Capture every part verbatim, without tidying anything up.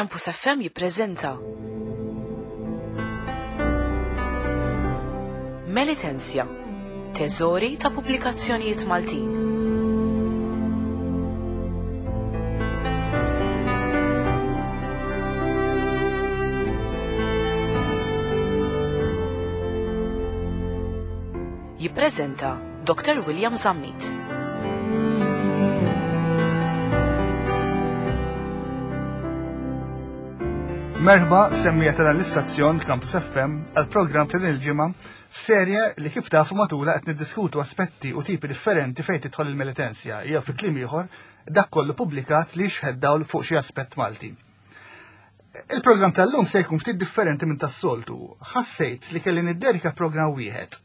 Campus F M jippreżenta Melitensia, teżori ta' pubblikazzjonijiet Maltin. Jippreżenta Doktor William Zammit. Merħba semmija tal l-istazzjon Campus F M għal-programm ta' din il-ġimgħa f'serje li kif tafu matula qed niddiskutu aspetti u tipi differenti fejn tidħol il-Melitensia, jew fi kliem ieħor dak kollu pubblikat li jixħed dawl fuq xi aspett Malti. Il-programm tal-lum se jkun ftit differenti minn tas-soltu. Ħassejt li kelli niddedika programm wieħed,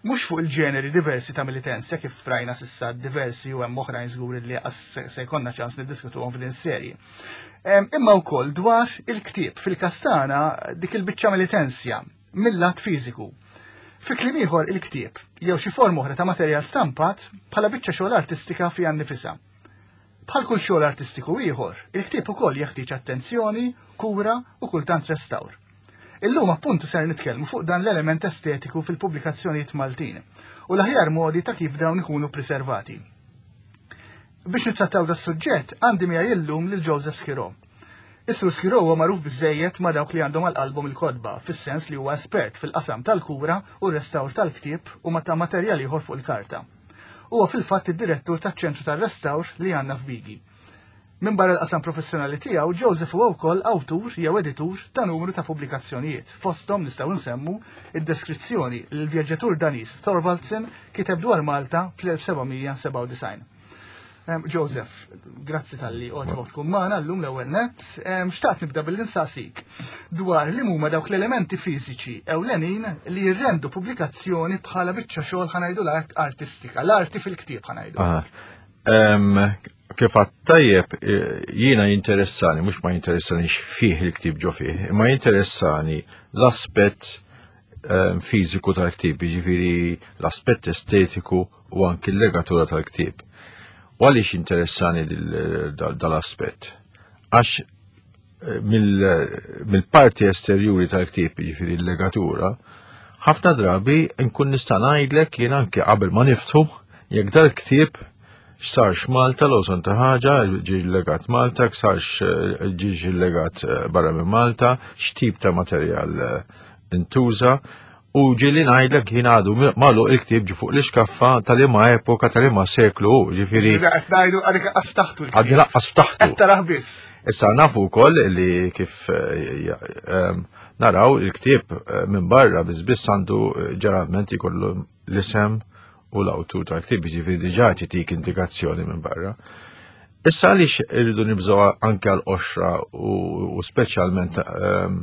mhux fuq il-ġeneri diversi ta' Melitensia kif rajna s'issa diversi u hemm oħrajn żgur li se, se jkollna ċans niddiskutuhom f'din is-serje. Em, imma wkoll dwar il-ktieb fil-kastana dik il-biċċa Melitensia mill-lat fiżiku. Fi kliem ieħor il-ktieb jew xi forma oħra ta' materjal stampat bħala biċċa xogħol artistika fiha nnifisha. Bħal kull xogħol artistiku ieħor, il-ktieb ukoll jeħtieġ attenzjoni, kura u kultant restawr. Illum appuntu ser nitkellmu fuq dan l-element estetiku fil-pubblikazzjonijiet Maltin u l-aħjar modi ta' kif dawn ikunu preservati. Biex nittrattaw da suġġett għandi miegħi illum lil Joseph Schirò. Is-Sur Schirò huwa magħruf biżejjed ma' dawk li għandhom għal qalbhom il-kotba, fis-sens li huwa espert fil-qasam tal-kura u r-restawr tal-ktieb u ma' ta' materjal ieħor fuq il-karta. Huwa fil-fatt id-direttur taċ-ċentru tar-restawr li għandna f'Bigi. Minn barra l-qasam professjonali tiegħu, Joseph huwa wkoll awtur jew editur ta' numru ta' pubblikazzjonijiet. Fosthom nistgħu nsemmu id-deskrizzjoni li l-vjaġġatur Daniż Thorvaldsen kiteb dwar Malta fl-elf seba' mija sebgħa u disgħin. Em, Joseph, grazzi tal-li għoġbok tkun magħna llum l-ewwel nett. Em, xtaqt nibda billi nsaqsik dwar li huma dawk l-elementi fiżiċi ewlenin li jirrendu pubblikazzjoni bħala biċċa xogħol ħanajdu l-art artistika, l-arti fil-ktieb ħanajdu. Aha. Em, kif għadt tajjeb, eh, jiena jinteressani, mhux ma jinteressani x'fih il-ktieb ġo fih, imma jinteressani l-aspett, ehm, fiżiku tal-ktieb, jiġifieri l-aspett estetiku u anki l-legatura tal-ktieb. U għaliex interessani dil-, dal-, dal-aspett? Għax, eh, mill-, mill-parti esterjuri tal-ktieb, jiġifieri l-legatura, ħafna drabi nkun nista' ngħidlek jien anke qabel ma niftħu jekk dal-ktieb x'sarx Malta l ta' ħaġa, ġie llegat Malta, x'sarx, eh, ġie llegat, eh, barra minn Malta, x'tip ta' materjal, eh, intuża, u ġieli ngħidlek jien għadu mi-, magħluq il-ktieb ġi fuq l-iskaffa tal-liema epoka, tal-liema seklu, ġifieri Ġifieri qed ngħidu għadek laqqas ftaħtu l-ktieb. Għadni laqqas ftaħtu. Qed tarah biss. Issa nafu wkoll li kif, eh, ja, ehm, naraw il-ktieb, eh, minn barra biss biss għandu, eh, ġeneralment jkollu l-isem u l-awtur tal-ktieb, ġifieri diġà titik indikazzjoni minn barra. Issa għaliex irridu nibżgħu anke għall-qoxra u, u speċjalment, ehm,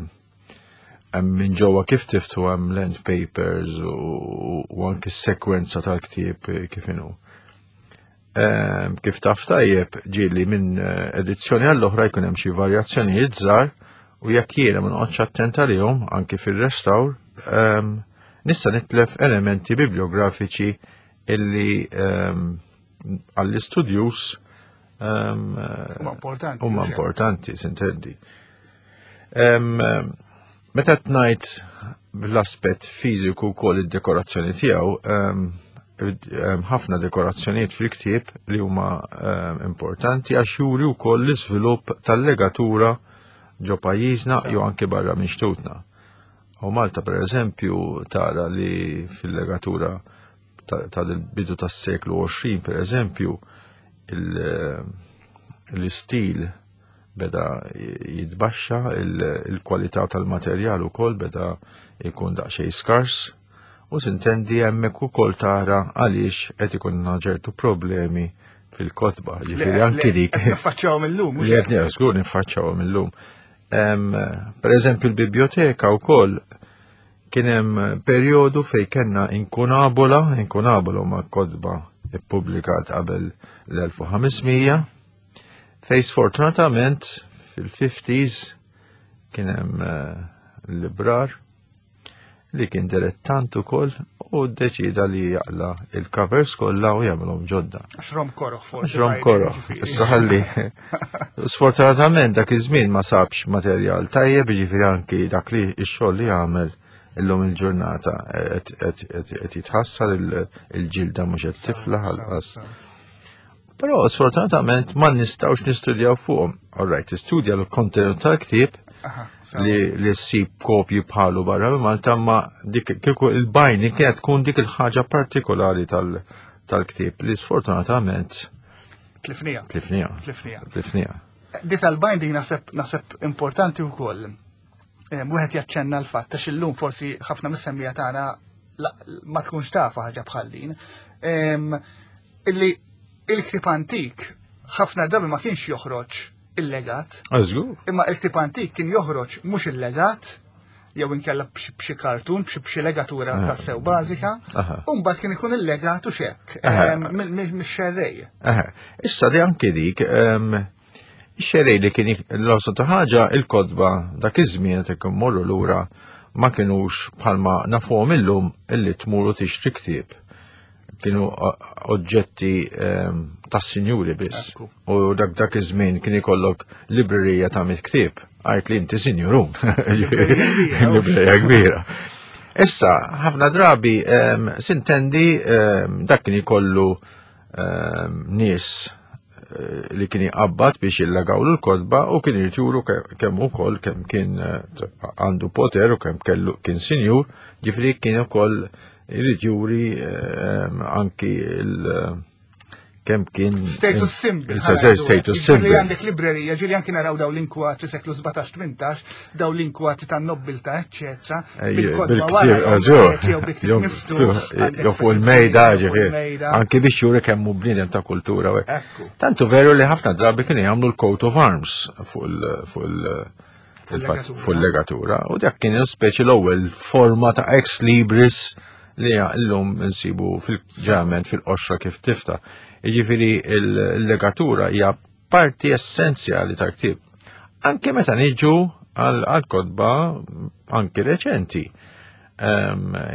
hemm minn ġewwa kif tiftu hemm land papers u, u, u anke s-sekwenza tal-ktieb kif inhu. Ehm, kif taf tajjeb ġieli minn, eh, edizzjoni għall-oħra jkun hemm xi varjazzjonijiet żgħar u jekk jiena ma noqgħodx attent għalihom anke fir-restawr, ehm, nista' nitlef elementi bibliografiċi illi, ehm, għall-istudjus, ehm, Huma importanti, huma mhux hekk? importanti, sintendi. Ehm, meta tnajt bl-aspett fiżiku wkoll id-dekorazzjoni tiegħu, ehm, ehm, ħafna dekorazzjonijiet fil-ktieb li huma, ehm, importanti għax juri wkoll l-iżvilupp tal-legatura ġo pajjiżna Sa. jew anke barra minn xtutna. U Malta per eżempju tara li fil-legatura ta-, tal-bidu tas-seklu għoxrin per eżempju il-, l-istil beda jitbaxxa, il-, il-kwalità tal-materjal ukoll beda jkun daqsxejn skars u sintendi hemmhekk ukoll tara għaliex qed ikunna ċertu problemi fil-kotba, ġifieri Le, anki le, dik. qed niffaċċjawhom illum, mhux Li qed hekk? żgur niffaċċjawhom illum. Em, per eżempju l-biblioteka wkoll kien hemm perjodu fejn kellna inkunabola, inkunabola huma kotba ippubblikat qabel l-elf u ħamesmija, fejn sfortunatament fil-fifties kien hemm, eh, librar li kien dilettant ukoll u ddeċida li jaqla il-covers kollha u jagħmilhom ġodda. Għax rom koroħ forsi. Għax rom koroħ. Issa ħalli. Sfortunatament dak iż-żmien ma sabx materjal tajjeb, jiġifieri anki dak li x-xogħol li għamel illum il-ġurnata qed jitħassar, il-ġilda mhux qed tiflaħ għalqas. Però sfortunatament ma nistgħux nistudjaw fuqhom. All right, istudja l-kontenut tal-ktieb li li ssib kopji bħalu barra minn Malta, ma dik kieku il-binding kienet tkun dik il-ħaġa partikolari tal-ktieb li sfortunatament Tlifnija. Tlifnija. Tlifnija. Tlifnija. Di tal-binding naħseb naħseb importanti wkoll. Wieħed jaċċenna l-fatt għax illum forsi ħafna mis-semmiegħa tagħna ma tkunx tafa ħaġa bħal din. Illi il-ktieb antik ħafna drabi ma kienx joħroġ illegat. Żgur. Imma il-ktieb antik kien joħroġ mhux illegat, jew inkella b'xi kartun, b'xi legatura ta' sew bażika, u mbagħad kien ikun illegat u xek mix-xerrej. Issa di anke dik, ix-xerrej li kien l-awsa ta' ħaġa il-kotba dak iż-żmien qed immorru lura ma kinux bħalma nafuhom illum illi tmuru tixtri ktieb. Kienu oġġetti tas-sinjuri biss. U dak dak iż-żmien kien ikollok librerija ta' mit ktieb. Għajt li inti sinjurun. Librerija kbira. Issa, ħafna drabi sintendi dak kien ikollu nies li kien jqabbad biex jillagawlu l-kotba u kien juru kemm ukoll kemm kien għandu poter u kemm kellu kien sinjur, ġifieri kien ukoll jrid juri anki il kemm kien status symbol. Status symbol. Għandek librerija, ġieli anki naraw daw l-inkwatri seklu sbatax tmintax, daw l-inkwatri tan-nobbiltà, eċċetera. Bil-kotba wara, jew fuq il-mejda, ġifieri. Anki biex juri kemm hu bniedem ta' kultura. Tantu veru li ħafna drabi kienu jagħmlu l-coat of arms fuq il- fuq il-legatura. U dak kien speċi l-ewwel forma ta' ex libris li llum nsibu fil-ġament fil-qoxra kif tifta. Jiġifieri l-legatura hija parti essenzjali tal-ktieb. Anke meta niġu għal kotba anke reċenti.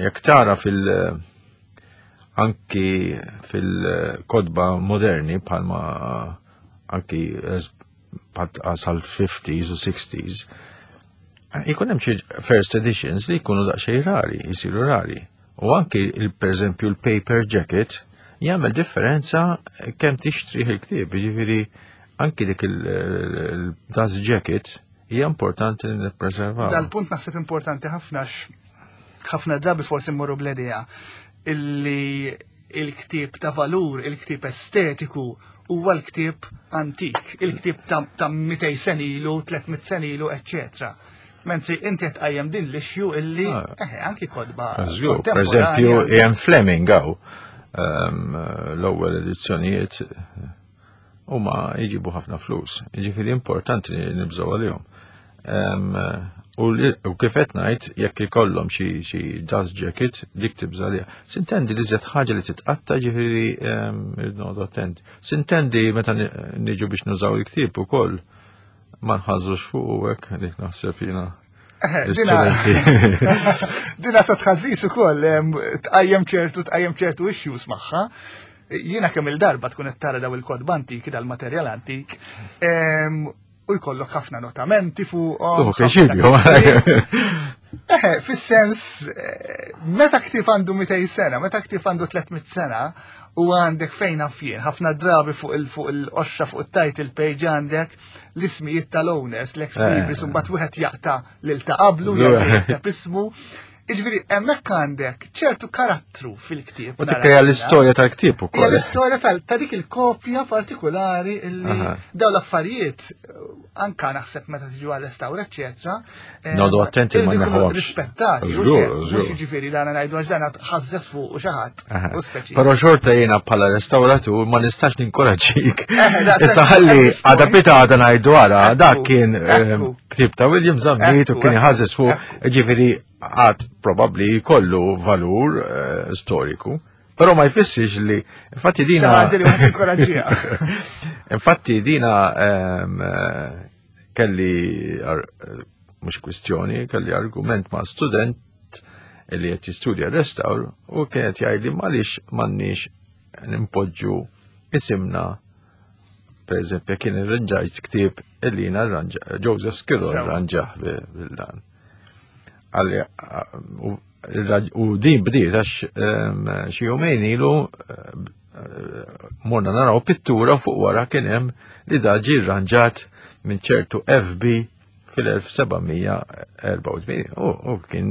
Jekk tara fil- anki fil-kotba moderni bħalma anki sal-fifties u sixties, ikun hemm xi first editions li jkunu daqsxejn rari, jisiru rari. U anki per eżempju l-paper jacket jagħmel differenza kemm tixtri il-ktieb, jiġifieri anki dik il-dust jacket hija importanti li nippreservaw. Dal-punt naħseb importanti ħafna ħafna drabi forsi mmorru bl-idea illi il-ktieb ta' valur, il-ktieb estetiku huwa l-ktieb antik, il-ktieb ta' mitej sen ilu, tliet mitt sen ilu, eċċetera. Mentri inti qed tqajjem din l-issue illi eħe anki kotba. Żgur, per eżempju Ian Fleming hawn l-ewwel edizzjonijiet huma jġibu ħafna flus. Jiġifieri importanti li nibżgħu għalihom. U kif qed ngħid jekk ikollhom xi dust jacket dik tibża' għaliha. Sintendi li żjed ħaġa li titqatta, ġifieri irrid noqgħod attent. Sintendi meta niġu biex nużaw il-ktieb ukoll ma nħażżux fuq u hekk dik naħseb jiena. Dina ta' tħażis ukoll tqajjem ċertu tqajjem ċertu issues magħha. Jiena kemm il-darba tkun qed tara daw il-kotba antiki, dal-materjal antik, u jkollok ħafna notamenti fuqhom. Eħe, fis-sens, meta ktieb għandu mitej sena, meta ktieb għandu tliet mitt sena, u għandek fejn jien, ħafna drabi fuq il-qoxxa fuq il-title page għandek l-ismijiet tal-owners, l-ex libris, u mbagħad wieħed jaqta' lil ta' qablu, jaqta' ismu. Jiġifieri hemmhekk għandek ċertu karattru fil-ktieb. U tikkrea l-istorja tal-ktieb ukoll. L-istorja ta' dik il-kopja partikolari illi dawn l-affarijiet anka naħseb meta tiġu għal-restawr, eċċetera. Noqogħdu attenti ma naħawx. Rispettati, mhux jiġifieri dan ngħidu għax dan ħażżes fuq u xi ħadd u speċi. Però xorta jiena bħala restawratur ma nistax ninkoraġġik. Issa ħalli għada pita għada ngħidu ara dak kien ktieb ta' William Zammit u kien iħażżes fuq, jiġifieri għad probabli jkollu valur storiku, però ma jfissirx li infatti dina infatti dina kelli mhux kwistjoni, kelli argument ma' student li qed jistudja restawr u kienet jgħidli għaliex m'għandniex nimpoġġu isimna. Per eżempju, kien irranġajt ktieb illi jiena rranġa, Joseph Schirru rranġah bil-dan. U din bdiet għax xi jumejn ilu morna naraw pittura, fuq wara kien hemm li da ġie rranġat minn ċertu F B fil-elf seba' mija erbgħa u tmenin. U kien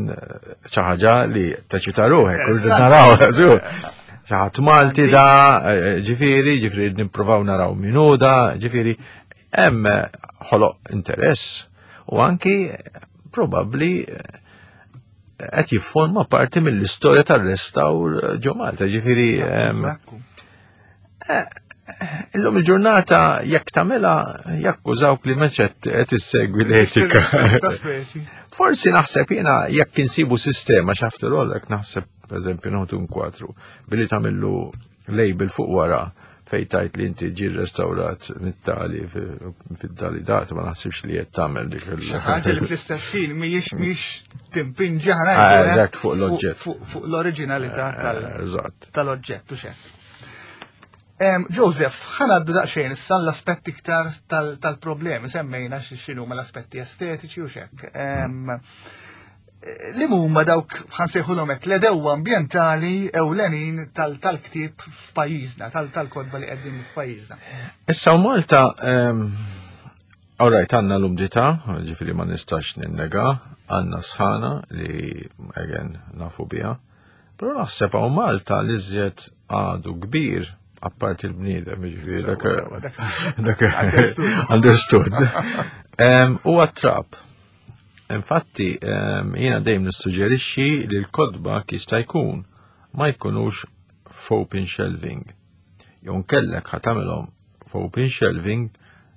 xi ħaġa li taċita ruħek, u naraw, xi ħadd Malti da, ġifieri, ġifieri nippruvaw naraw min hu da, ġifieri, hemm ħoloq interess u anki probabbli qed jifforma parti mill-istorja tar-restawr ġo Malta, ġifieri illum il-ġurnata jekk tagħmilha jakkużawk li mhux qed issegwi l-etika. Forsi naħseb jiena jekk insibu sistema x'after all, jekk naħseb, pereżempju, noħdu kwadru billi tagħmillu label fuq wara fej tajt li inti ġi restawrat mit-tali fid-dali data, ma naħsibx li qed tagħmel dik il- Ħaġa li fl-istess ħin mhijiex mhijiex timpinġi Ah, eżatt, fuq l-oġġett. Fuq l-oriġinalità Eżatt. tal-oġġett u xek. Joseph, ħa ngħaddu daqsxejn issa l-aspetti iktar tal-problemi, semmejna x'inhu l-aspetti estetiċi u xek. Li huma dawk, ħa nsejħulhom hekk, l-għedewwa ambjentali ewlenin tal-ktieb f'pajjiżna, tal-kotba li qegħdin f'pajjiżna? Issa u Malta, all right, għandna l-umdità, ġifieri ma nistax ninnega, għandna sħana li again nafu biha, però naħseb hawn Malta li żjed għadu kbir, apparti l-bniedem, ġifieri dak dak understood. U għat-trab. Infatti, jiena dejjem nissuġġerixxi li l-kotba jista' jkun ma jkunux f'open shelving. Jew nkellek ħa tagħmilhom f'open shelving,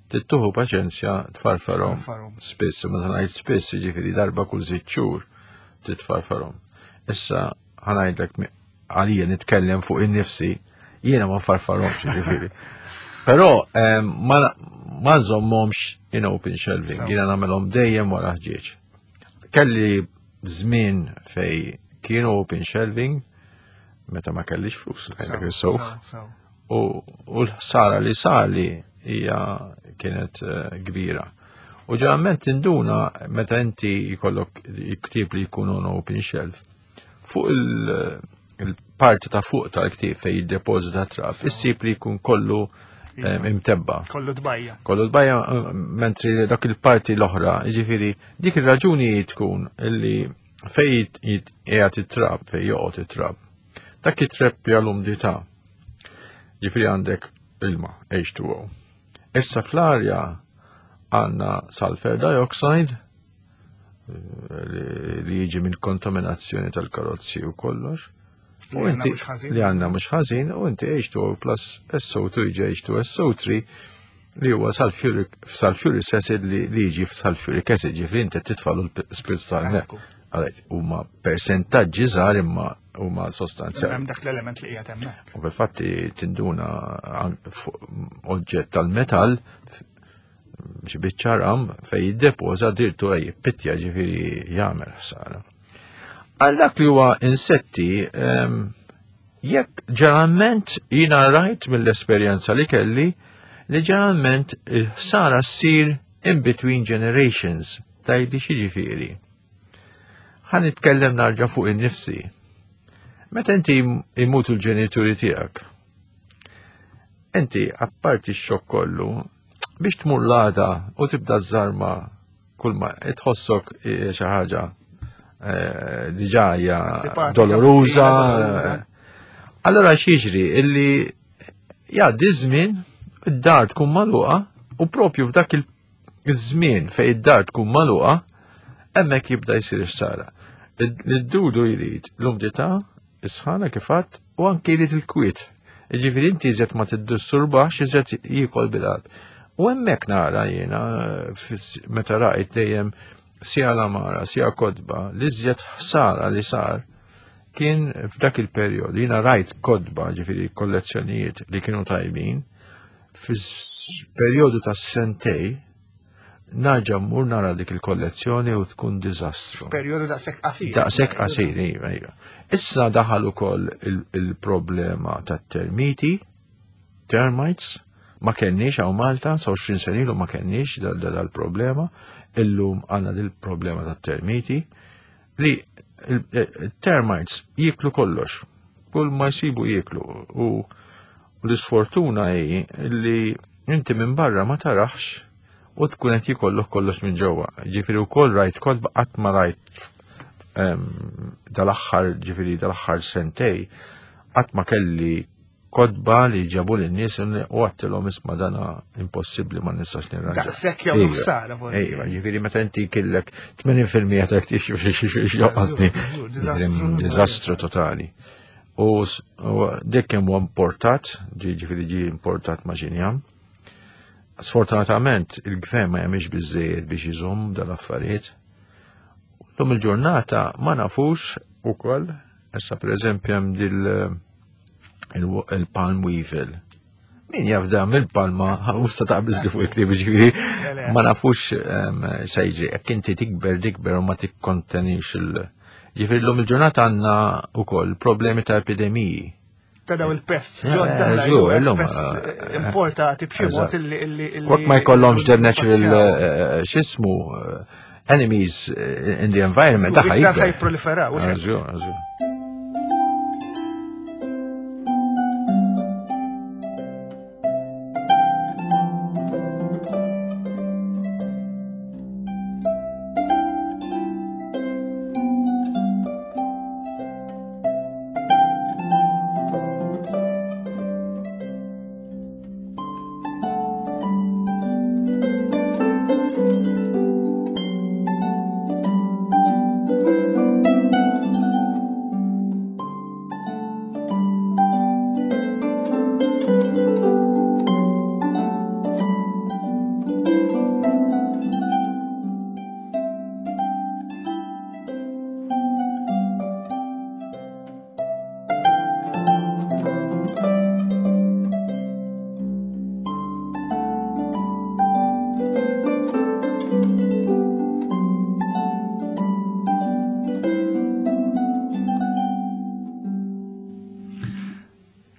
tittuħu paċenzja tfarfarhom spiss, u meta ngħid spiss, jiġifieri darba kull sitt xhur titfarfarhom. Issa ħa ngħidlek, għalija nitkellem fuq in-nifsi, jiena ma farfarhomx ġifieri. Però ma ma nżommhomx in open shelving, jiena nagħmelhom dejjem wara ħġieġ. Kelli żmien fej kienu open shelving meta ma kellix flus, u l-ħsara li sali hija kienet kbira. U ġeneralment tinduna meta inti jkollok ktieb li jkunu open shelf, fuq il-parti ta' fuq tal-ktieb fej jiddepożita trab, issib li jkun kollu imtebba. Kollu tbajja. Kollu tbajja, mentri dak il-parti l-oħra, ġifieri, dik il-raġuni tkun illi fej qiegħed it-trab, fej joqgħod it-trab, dak jitreppja l-umdità. Ġifieri għandek ilma, H two O. Issa fl-arja għandna sulfur dioxide li jiġi minn kontaminazzjoni tal-karozzi u kollox. U inti li għandna mhux ħażin, u inti H two O plus S O two jiġi H two S O three li huwa sulfuric sulfuric acid li jiġi f'sulfuric acid, ġifieri inti titfalu l-spiritu tal-nek. Għalhekk huma persentaġġi żgħar imma huma sostanzjali. Hemm dak l-element li qiegħed hemmhekk. U fil-fatti tinduna oġġett tal-metall, xi biċċa ram, fej jiddepoża dirtu jippittja, ġifieri jagħmel ħsara. Għal dak li huwa insetti, jekk ġeneralment jiena rajt mill-esperjenza li kelli li ġeneralment il-ħsara ssir in between generations, tgħidli x'jiġifieri. Ħa nitkellem narġa' fuq in-nifsi. Meta inti imutu l-ġenituri tiegħek, inti apparti x-xokk kollu, biex tmur l-għada u tibda żarma kull ma tħossok xi ħaġa diġà hija doloruża. Allora x'jiġri illi jgħaddi żmien, id-dar tkun magħluqa, u propju f'dak il-żmien fejn id-dar tkun magħluqa hemmhekk jibda jsir ħsara. Id-dudu jrid l-umdità, is-sħana kifat, u anke jrid il-kwiet. Ġifieri inti iżjed ma tiddisturbax, iżjed jiekol bil. U hemmhekk nara jiena meta rajt dejjem sija l-għamara, sija kotba, li iżjed ħsara li sar kien f'dak il-perjod. Jiena rajt kotba, ġifieri kollezzjonijiet li kienu tajbin, fis-perjodu ta' sentej Narġa' mmur nara dik il-kollezzjoni u tkun diżastru. Perjodu daqshekk qasir. Daqshekk qasir, iva, iva. Issa daħal ukoll il-problema tat-termiti, termites, ma kenniex hawn Malta, sa għoxrin sena ilu ma kenniex dal-problema, illum għandna dil-problema tat-termiti li il-termites jiklu kollox, kull ma jsibu jiklu, u l-isfortuna hi li inti minn barra ma tarax u tkun qed jikollok kollox minn ġewwa. Ġifieri wkoll rajt kotba qatt ma rajt dal-aħħar, ġifieri dal-aħħar sentej, qatt ma kelli kotba li ġabu lin-nies u għattilhom isma' dana impossibbli ma nistax nirranġa. Daqshekk jew ħsara forsi. Ejwa, ġifieri meta inti kellek tmenin fil-mija ta' ktib joqgħodni. Diżastru totali. U dik kemm huwa importat, ġifieri ġie importat ma' xinjam. Sfortunatament il-gvern ma jagħmilx biżżejjed biex iżomm dal-affarijiet. Lum il-ġurnata ma nafux ukoll, issa pereżempju hemm dil il-palm weevil. Min jaf dan mill-palma, usta taqbiż li fuq il-ktieb, ġifieri ma nafux se jiġri. Jekk inti tikber, tikber u ma tikkontenix il- Ġifieri llum il-ġurnata għandna wkoll problemi ta' epidemiji. Ta' daw il-pests ġodda, pests importati b'xi mod illi illi illi Waqt ma jkollhomx their natural x'ismu enemies in the environment, daħħa jipproliferaw. Żgur, żgur.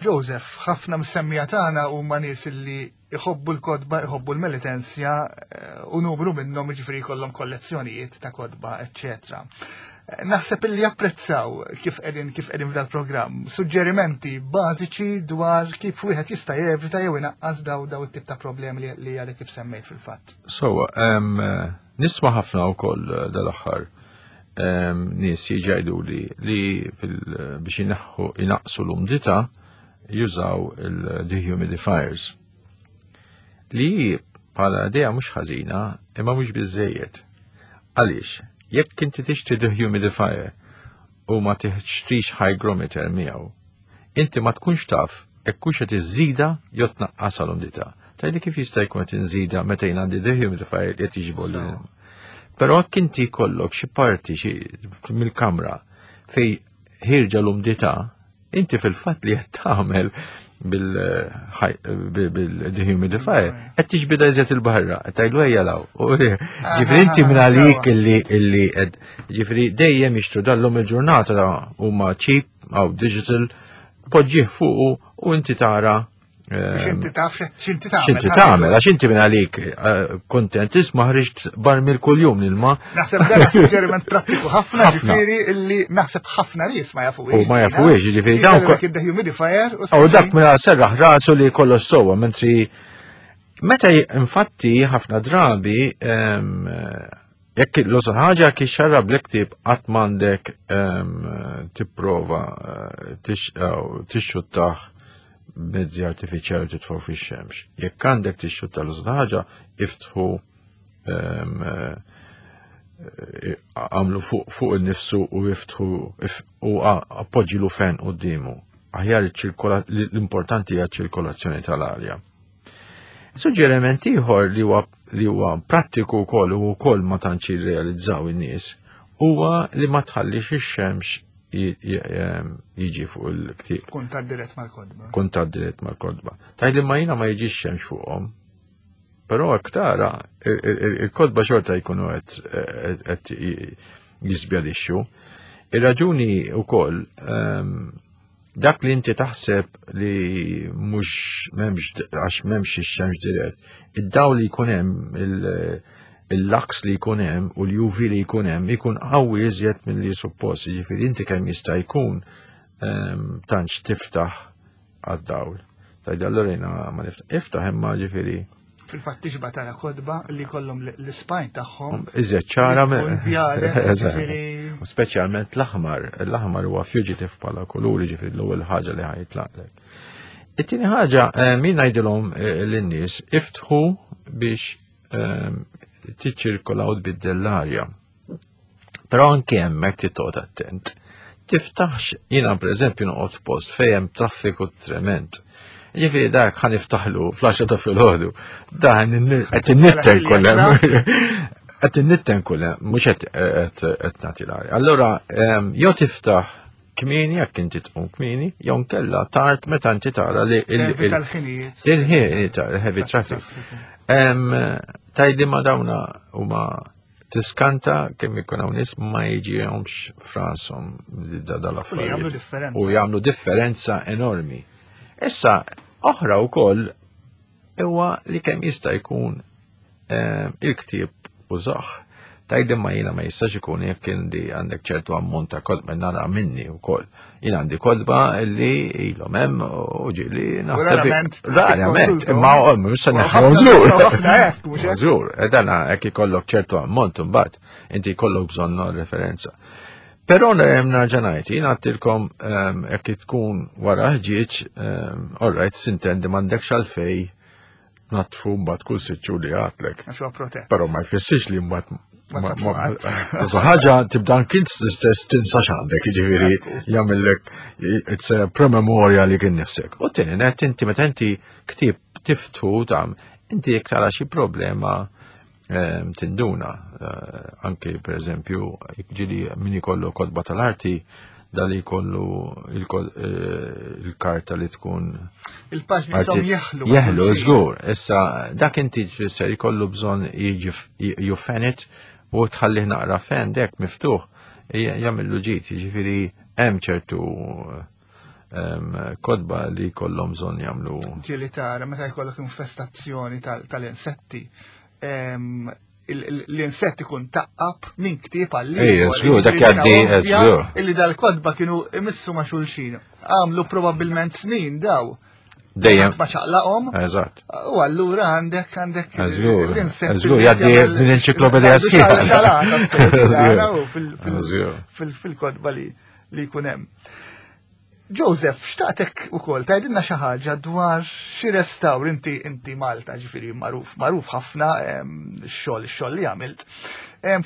Joseph, ħafna msemmija tagħna huma nies li iħobbu l-kotba, iħobbu l-Melitensja, u numru minnhom jiġifieri jkollhom kollezzjonijiet ta' kotba, eċċetera. Naħseb illi japprezzaw kif qegħdin kif qegħdin f'dal-programm, suġġerimenti bażiċi dwar kif wieħed jista' jevita jew inaqqas daw daw it-tip ta' problemi li għadek kif semmejt fil-fatt. So, nisma' ħafna wkoll dal-aħħar nies jgħidu li li biex inaħħu inaqqsu l-umdità jużaw il-dehumidifiers. Li bħala idea mhux ħażina, imma mhux biżżejjed. Għaliex, jekk inti tixtri dehumidifier u ma tixtrix hygrometer miegħu, inti ma tkunx taf jekk hux qed iżżida jew tnaqqas l-umdità. Tgħidli kif jista' jkun qed inżida meta jien għandi dehumidifier li qed jiġbor lil. Però jekk inti jkollok xi parti xi mill-kamra fej ħirġa l-umdità, inti fil-fatt li qed tagħmel bil-dehumidifier qed tiġbida iżjed il-barra, qed tgħidlu ejja law. Ġifieri inti minn għalik illi illi qed ġifieri dejjem jixtru dallhom il-ġurnata huma cheap aw digital, poġġih fuqu u inti tara X'inti taf x'inti tagħmel. X'inti tagħmel, għax inti minn għalik kontent isma' ħriġt barmil kuljum l-ilma. Naħseb dan suġġeriment prattiku ħafna, ġifieri illi naħseb ħafna nies ma jafuhiex. U ma jafuhiex, ġifieri dawn dehumidifier u dak minn serraħ rasu li kollox sewwa, mentri meta infatti ħafna drabi jekk l-osol ħaġa kif xarrab l-ktieb qatt m'għandek tipprova tixxuttah mezzi artifiċjali titfgħu fix-xemx. Jekk għandek tixxutta l ħaġa, iftħu għamlu fuq il-nifsu u iftħu u appoġġilu fen quddiemu. Aħjar l-importanti hija ċ-ċirkolazzjoni tal-arja. Suġġeriment ieħor li huwa li huwa prattiku wkoll u wkoll ma tantx jirrealizzaw in-nies huwa li ma tħallix ix-xemx jiġi fuq il-ktieb. Kuntatt dirett mal-kotba. Kuntatt dirett mal-kotba. Tgħid li ma jiena ma jiġix xemx fuqhom. Però hekk tara il-kotba xorta jkunu qed jiżbjalixxu. Ir-raġuni wkoll dak li inti taħseb li mhux m'hemmx għax m'hemmx ix-xemx dirett, id-dawl li jkun hemm, il-lux li jkun hemm u l-U V li jkun hemm ikun qawwi iżjed milli suppost, jiġifieri inti kemm jista' jkun tantx tiftaħ għad-dawl. Tgħid allura jiena ma niftaħ, iftaħ imma ġifieri. Fil-fatt tixba tara kotba li kollhom l-spine tagħhom. Iżjed ċara. U speċjalment l-aħmar, l-aħmar huwa fugitive bħala kuluri, ġifieri l-ewwel ħaġa li ħa jitlaqlek. It-tieni ħaġa, min ngħidilhom lin-nies iftħu biex tiċċirkola u tbiddel l-arja. Però anke hemmhekk trid attent. Tiftaħx, jiena pereżempju noqgħod post fejn hemm traffiku trement. Ġifieri dak ħa niftaħlu fl-għaxra ta' filgħodu. Dan qed innitten kullem. Qed innitten kullem, mhux qed nagħti l-arja. Allura jew tiftaħ kmieni jekk inti tqum kmieni, jew nkella tard meta inti tara li il-ħin heavy traffic. Tgħidli ma dawna huma tiskanta kemm ikun hawn nies ma jiġihomx f'rashom dal-affarijiet. U jagħmlu differenza enormi. Issa, oħra wkoll huwa li kemm jista' jkun il-ktieb użah. Tgħidli ma jiena ma jistax ikun jekk inti għandek ċertu ammont ta' kotba nara minni wkoll. Jien għandi kotba li ilhom hemm u ġieli naħseb. Rarament, imma mhux se neħħu żgur. Żgur, dana hekk ikollok ċertu ammont imbagħad inti jkollok bżonn referenza. Però nerġa' ngħid, jien għedtilkom jekk tkun wara ħġieġ, all right, sintendi m'għandekx għalfej natfu mbagħad kull sitt xhur li għadlek. Għax huwa protett. Però ma jfissirx li mbagħad ma ħaġa tibda anki stess tinsa x'għandek, jiġifieri jagħmellek it's a promemoria li kien nifsek. U tieni net inti meta inti ktieb tiftħu tam, inti jekk tara xi problema tinduna. Eh, anke per eżempju, ġieli min ikollu kotba tal-arti, dali jkollu eh, il-karta li tkun. Il-paġni jisom jeħlu. Jeħlu, żgur. Issa, dak inti tfisser jkollu bżonn jiġi ju fan it u tħallih naqra fan dek miftuħ jagħmillu ġid, jiġifieri hemm ċertu kotba li kollhom bżonn jagħmlu. Ġieli tara meta jkollok infestazzjoni tal-insetti, l-insett ikun taqqab minn ktieb għal Ej, żgur, dak jgħaddi, żgur. Illi dal-kotba kienu imissu ma' xulxin. Għamlu probabbilment snin daw. Dejjem. Ma ċaqlaqhom. Eżatt. U allura għandek għandek l-insett. Żgur, jgħaddi minn enċiklopedija sħiħa. Fil-kotba li li jkun hemm. Joseph, xtaqtek ukoll tgħidilna xi ħaġa dwar xi restawr inti inti Malta, ġifieri magħruf magħruf ħafna x-xogħol ix-xogħol li għamilt.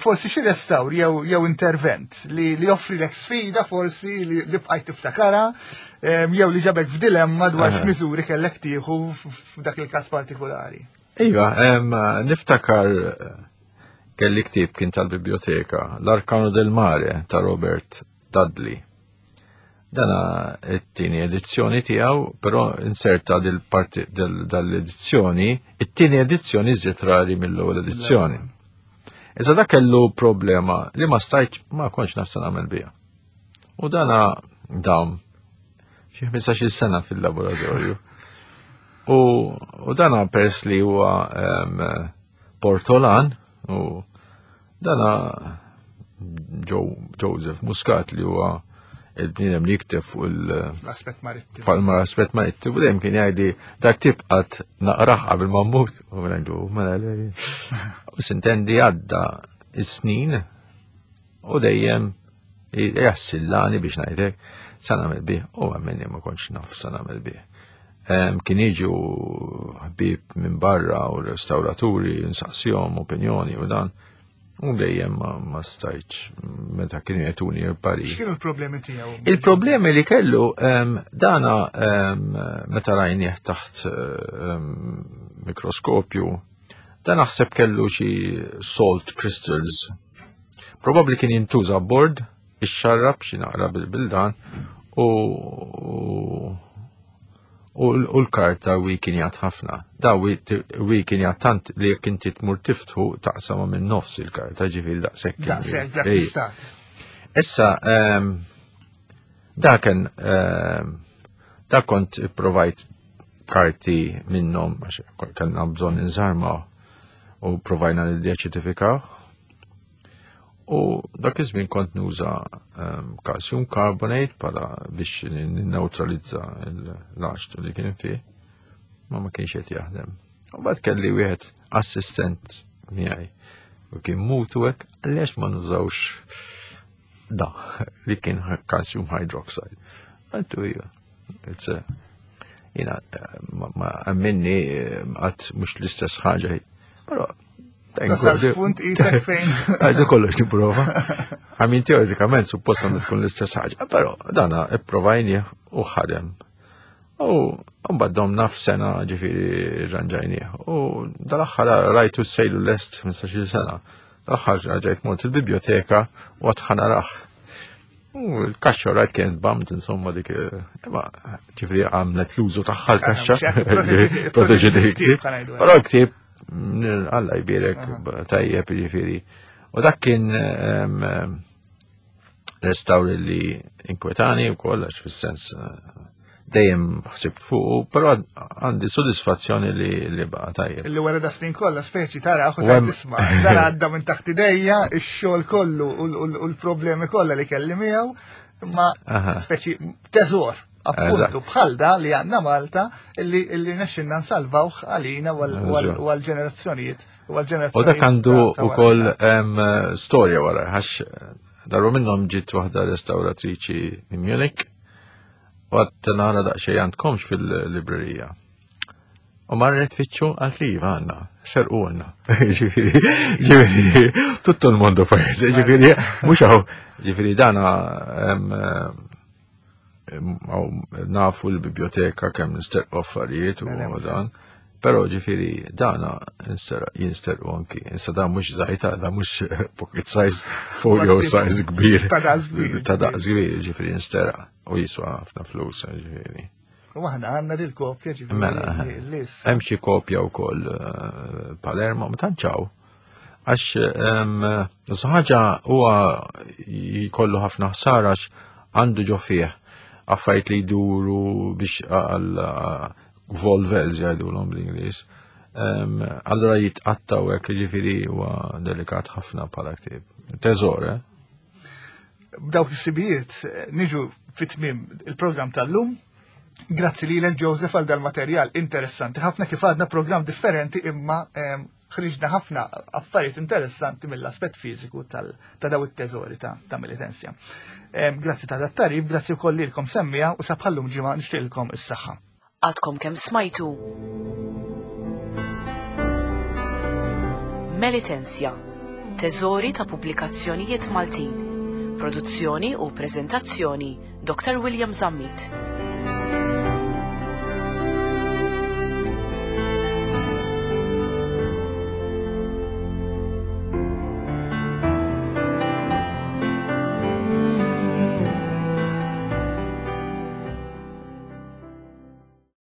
Forsi xi restawr jew jew intervent li li joffrilek sfida forsi li, li bqajt tiftakara jew li ġabek f'dilemma dwar x'miżuri kellek tieħu f'dak il-każ partikolari. Iva, niftakar kelli ktieb kien tal-biblioteka, L'Arcano del Mare ta' Robert Dudley. Dana it-tieni edizzjoni tiegħu, però inserta dil-parti dal-edizzjoni, it-tieni edizzjoni iżjed rari mill-ewwel edizzjoni. Iżda dak kellu problema li ma stajt ma kontx naf se nagħmel biha. U dana dam xi ħmistax-il sena fil-laboratorju. U, u dana pers li huwa um, Portolan u dana Joseph Muscat li huwa il-bniedem li jikteb fuq il- L-aspett marittimu. Fuq l-aspett marittimu, dejjem kien jgħidli dak tibqat naqrah qabel ma mmut. U ngħidu mela le. U sintendi għadda is-snin u dejjem jassillani biex ngħidlek sa nagħmel bih u għamilni ma kontx naf sa nagħmel bih. Kien jiġu ħbieb minn barra u restawraturi nsaqsihom opinjoni u dan. U dejjem ma, ma stajtx meta kienu jagħtuni l-parir. X'kienu l-problemi tiegħu? Il-problemi li kellu um, dana um, meta rajnieh taħt um, mikroskopju, dan naħseb kellu xi salt crystals. Probabbli kien jintuża bord, ixxarrab xi naqra bil-dan u U l-karta weakenjat ħafna. Da weakenjat tant li jekk inti tmur tiftħu taqsama minn nofs il-karta, ġifieri daqshekk. Daqshekk, dak l-istat. Issa, daken, da kont provajt karti minnhom, għax kellna bżonn inżarmaw u provajna li deċitifikaw. U dak iż-żmien kont nuża calcium carbonate bħala biex ninneutralizza l-aċtu li kien fih, ma ma kienx qed jaħdem. U bad kelli wieħed assistent miegħi u kien mutu hekk, għaliex ma nużawx da li kien calcium hydroxide. Għaltu hija, it's a, jina, ma għamminni għat mux l-istess ħaġa, però Tasal punt isek fejn. Għajdu kollox niprova. Għamin teoretikament suppost għandu tkun l-istess ħaġa, però dana ipprovajni u ħadem. U mbagħad domna f'sena ġifieri rranġajnieh. U dal-aħħar rajtu sejlu lest ħmistax-il sena. Dal-aħħar ġajt mort il-biblioteka u għad ħanaraħ. U l-kaxxa rajt kienet bamt, insomma, dik, imma ġifieri għamlet l-użu tagħha l-kaxxa. Proteġi dik. Però l-ktieb Alla jbierek tajjeb ġifieri. U dak kien restawr li inkwetani u koll, għax fis-sens dejjem ħsibt fuq, però għandi sodisfazzjoni li li baqa' tajjeb. Li wara da snin kollha speċi tara u tisma' dan għadda minn taħt idejja ix-xogħol kollu u l-problemi kollha li kelli miegħu, imma speċi teżor. Appuntu bħal da li għandna Malta illi illi nexxinna nsalvawh għalina u għall-ġenerazzjonijiet u għall-ġenerazzjonijiet. U dak għandu wkoll storja wara, għax darba minnhom ġiet waħda restawratriċi minn Munich u għad nara daqsxejn għandkomx fil-librerija. U marret fitxu għal li għandna, serqu għandna. Ġifieri, ġifieri, tutto l-mondo pajjiż, ġifieri, mhux hawn, ġifieri dana nafu l-biblioteka kemm nisterqu affarijiet u dan, però ġifieri dana jinsterqu anki. Issa dan mhux żgħir, da mhux pocket size, folio size kbir. Ta' daqs kbir. Ta' daqs kbir, ġifieri jinsteraq u jiswa ħafna flus, ġifieri. U aħna għandna lil kopja ġifieri. Mela, hemm xi kopja wkoll Palermo, ma tantx hawn. Għax ħaġa huwa jkollu ħafna ħsara għax għandu ġo fih affarijiet li jduru biex għal volvels jgħidulhom bl-Ingliż. Allura jitqattaw hekk, ġifieri huwa delikat ħafna bħala ktieb. Teżor, eh? B'dawk is-sibijiet niġu fit-tmiem il-programm tal-lum. Grazzi lilek Joseph għal dal-materjal interessanti ħafna, kif għadna programm differenti imma ħriġna ħafna affarijiet interessanti mill-aspett fiżiku ta' daw it-teżori ta' Melitensia. Grazzi ta' dat-tarif, grazzi wkoll lilkom semmija u sabħallum ġimgħa nixtieqilkom is-saħħa. Għadkom kemm smajtu Melitensia, teżori ta' pubblikazzjonijiet Maltin. Produzzjoni u preżentazzjoni Doctor William Zammit.